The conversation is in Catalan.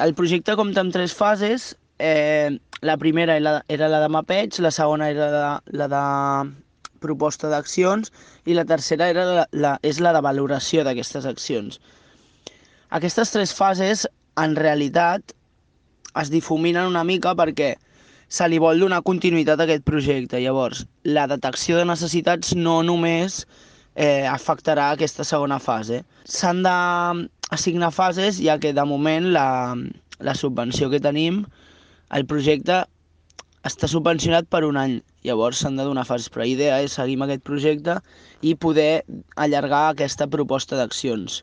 El projecte compta amb tres fases. La primera era la de mapeig, la segona era la de proposta d'accions i la tercera era és la de valoració d'aquestes accions. Aquestes tres fases, en realitat, es difuminen una mica perquè se li vol donar continuïtat a aquest projecte. Llavors, la detecció de necessitats no només afectarà aquesta segona fase. S'han d'assignar fases, ja que de moment la subvenció que tenim, el projecte està subvencionat per un any. Llavors s'han de donar fases, però la idea és seguir amb aquest projecte i poder allargar aquesta proposta d'accions.